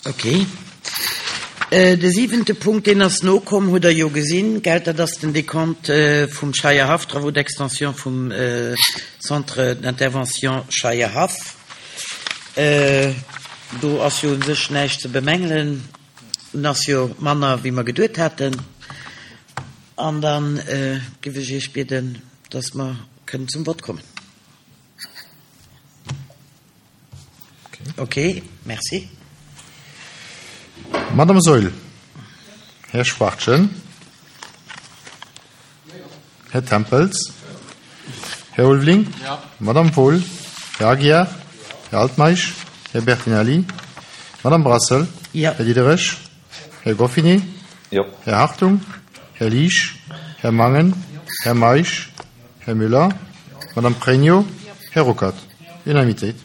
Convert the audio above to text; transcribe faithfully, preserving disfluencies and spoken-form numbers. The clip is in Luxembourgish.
Okay. Äh, de siwente Punkt, deen ass nokomm, hutt Der jo gesinn, gell, dat ass den Dekont vum Scheierhaff, Travaux d'extension vum Centre d'intervention Scheierhaff. Do ass jo u sech näischt ze bemängelen, en ass jo manner wéi mer geduet haten. An da géif ech Iech bieden, dass mer kënnen zum Vott kommen. Okay, merci. Madame Saeul, Här Schwachtgen, Här Tempels, Här Ulveling, Madame Wohl, Här Aguiar, Här Altmeisch, Här Bertinelli, Madame Brassel, Här Diderich, Här Goffinet, Här Hartung, Här Liesch, Här Mangen, Här Meisch, Här Muller, Madame Pregno, Här Ruckert. Unanimitéit.